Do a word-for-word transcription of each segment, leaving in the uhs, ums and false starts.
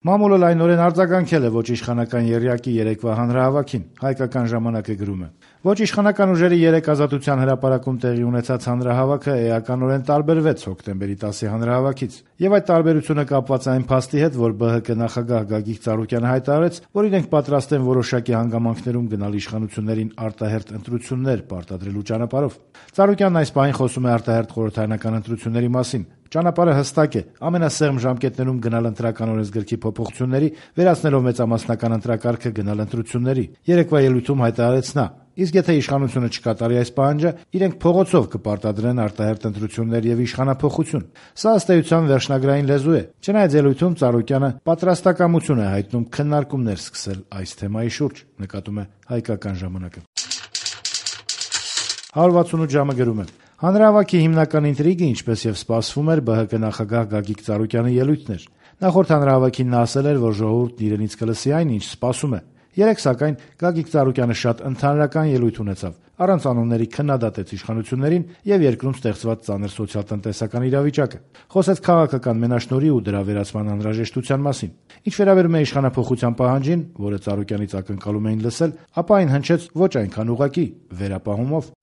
Մամուլը լայնորեն արձագանքել է ոչ իշխանական եռյակի երեկվա հանրահավաքին, հայկական ժամանակը գրում է. Ոչ իշխանական ուժերի երեկ Ազատության հրապարակում տեղի ունեցած հանրահավաքը էականորեն տարբերվեց հոկտեմբերի տասի հանրահավաքից, եւ այդ տարբերությունը կապված է այն փաստի հետ, որ ԲՀԿ նախագահ Գագիկ Ծառուկյանը հայտարարեց, որ իրենք պատրաստ են որոշակի հանգամանքներում գնալ իշխանություններին արտահերթ ընտրություններ պարտադրելու ճանապարհով։ Ծառուկյանն այս պահին խոսում է արտահերթ խորհրդարանական ընտրությունների մասին։ Ճանապարհը հստակ է՝ ամենասեղմ ժամկետներում գնալ ընտրական օրենսգրքի փոփոխությունների, վերացնելով մեծամասնական ընտրակարգը գնալ ընտրությունների։ Երեկվա ելույթում հայտարարեց նա. իսկ եթե իշխանությունը չկատարի այս պահանջը, իրենք փողոցով կպարտադրեն արտահերթ ընտրություններ եւ իշխանափոխություն։ Սա ըստ էության վերջնագրային լեզու է։ Չնայած ելույթում Ծառուկյանը պատրաստակամություն է հայտնում քննարկումներ սկսել այս թեմայի շուրջ, նկատում է հայկական ժամանակը։ հարյուր վաթսունութ ժամը գրում է. Հանրահավաքի հիմնական ինտրիգը, ինչպես եւ սպասվում էր, ԲՀԿ նախագահ Գագիկ Ծառուկյանի ելույթն էր։ Նախորդ հանրահավաքին նա ասել էր, որ ժողովուրդն իրենից կլսի այն, ինչ սպասում է։ Երեկ, սակայն, Գագիկ Ծառուկյանը շատ ընդհանրական ելույթ ունեցավ, առանց անունների քննադատեց իշխանություններին եւ երկրում ստեղծված ծանր սոցիալ-տնտեսական իրավիճակը։ Խոսեց քաղաքական մենաշնորհի ու դրա վերացման անհրաժեշտության մասին։ Ինչ վերաբերում է իշխանափոխության պահանջին, որը Ծառուկյանից ակնկալում էին լսել, ապա այն հնչեց ոչ այնքան ուղղակի, վերապահումով։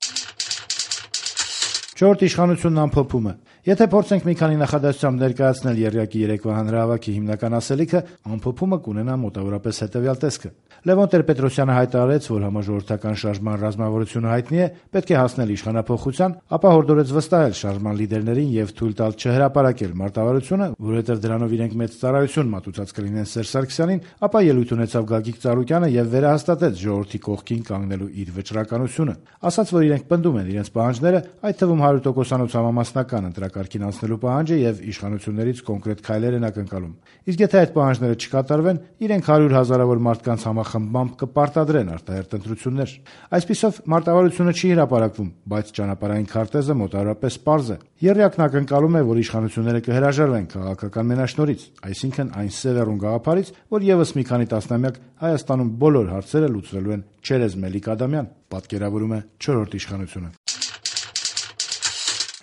Չորրորդ իշխանությունն ամփոփում է. Եթե փորձենք մի քանի նախադասությամբ ներկայացնել եռյակի երեկվա հանրահավաքի հիմնական ասելիքը, ամփոփումը կունենա մոտավորապես հետևյալ տեսքը. Լևոն Տեր-Պետրոսյանը հայտարարեց, որ համաժողովրդական շարժման ռազմավարությունը հայտնի է, պետք է հասնել իշխանափոխության, ապա հորդորեց վստահել շարժման լիդերներին եւ թույլ տալ չհրապարակել մարտավարությունը, որովհետեւ դրանով իրենք մեծ ծառայություն մատուցած կլինեն Սերժ Սարգսյանին, ապա ելույթ ունեցավ Գագիկ Ծառուկյանը եւ վերահաստատեց ժողովրդի կողքին կանգնելու իր վճռականությունը։ Ասաց, որ իրենք պնդում են իրենց պահանջները, այդ թվում հարյուր տոկոսանոց համամասնական ընտրակարգին անցնելու պահանջը եւ իշխանություններից կոնկրետ քայլեր են ակնկալում։ Իսկ եթե այդ պահանջները չկատարվեն, իրենք հարյուր հազարավոր մարդկանց համախմբմամբ կպարտադրեն արտահերթ ընտրություններ։ Այսպիսով մարտավարությունը չի հրապարակվում, բայց ճանապարհային քարտեզը մոտավորապես պարզ է։ Եռյակն ակնկալում է, որ իշխանությունները կհրաժարվեն քաղաքական մենաշնորհից, այսինքն այն սևեռուն գաղափարից, որ եւս մի քանի տասնամյակ Հայաստանում բոլոր հարցերը լուծվելու են Չերեզ Մելիք Ադամյան, պատկերավորում է չորրորդ իշխանությունը։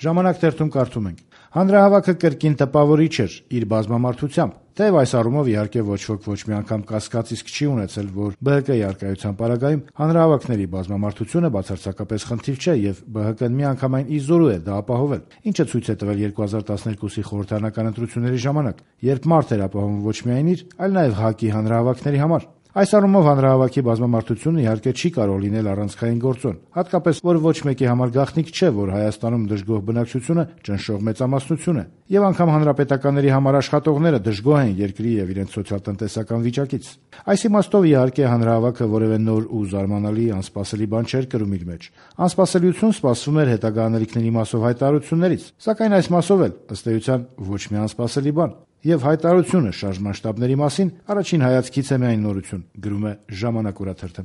Ժամանակ թերթում կարդում ենք. Հանրահավաքը կրկին տպավորիչ էր իր բազմամարդությամբ, թեև այս առումով իհարկե ոչ ոք ոչ մի անգամ կասկած իսկ չի ունեցել, որ ԲՀԿ-ի առկայության պարագայում հանրահավաքների բազմամարդությունը բացարձակապես խնդիր չէ եւ ԲՀԿ-ն միանգամայն իզորու է դա ապահովել, ինչը ցույց է տվել երկու հազար տասներկուսի խորհրդարանական ընտրությունների ժամանակ, երբ մարդ էր ապահովում ոչ միայն իր, այլ նաեւ ՀԱԿ-ի հանրահավաքների համար։ Այս առումով հանրահավաքի բազմամարդությունը իհարկե չի կարող լինել առանցքային գործոն, հատկապես որ ոչ մեկի համար գաղտնիք չէ, որ Հայաստանում դժգոհ բնակչությունը ճնշող մեծամասնություն է, եւ անգամ հանրապետականների համար աշխատողները դժգոհ են երկրի եւ իրենց սոցիալ-տնտեսական վիճակից։ Այս իմաստով իհարկե հանրահավաքը որևէ նոր ու զարմանալի անսպասելի բան չէր կրում իր մեջ։ Անսպասելիություն սպասվում էր հետագա անելիքների մասով հայտարարություններից, սակայն այս մասով էլ ըստ էության ոչ մի անսպասելի բան։ Եվ հայտարարությունը շարժման շտաբների մասին առաջին հայացքից է միայն նորություն, գրում է Ժամանակ օրաթերթը։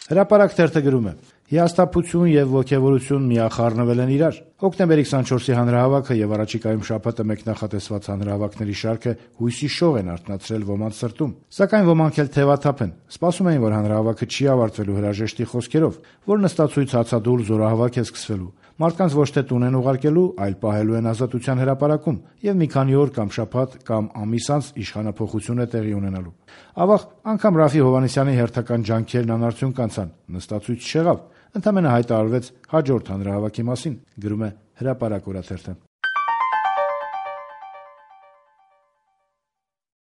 Հրապարակ թերթը գրում է. Հիասթափություն եւ ոգեվորություն միախառնվել են իրար։ Հոկտեմբերի քսանչորսի հանրահավաքը եւ առաջիկայում շաբաթը մեկնախատեսված հանրահավաքների շարքը հույսի շող են արթնացրել ոմանց սրտում, սակայն ոմանք էլ թևաթափ են։ Սպասում էին, որ հանրահավաքը չի ավարտվելու հրաժեշտի խոսքերով, որ նստածույց հացադուլ զորահավաք է սկսվելու։ Մարդկանց ոչ թե տուն են ուղարկելու, այլ պահելու են Ազատության հրապարակում եւ մի քանի օր կամ շաբաթ կամ ամիս անց իշխանափոխություն է տեղի ունենալու։ Ավաղ անգամ Ռաֆի Հովհաննիսյանի հերթական ջանքերն անարդյունք անցան, նստածույց չեղավ, ընդամենը հայտարարվեց հաջորդ հանրահավաքի մասին, գրում է Հրապարակ օրաթերթը։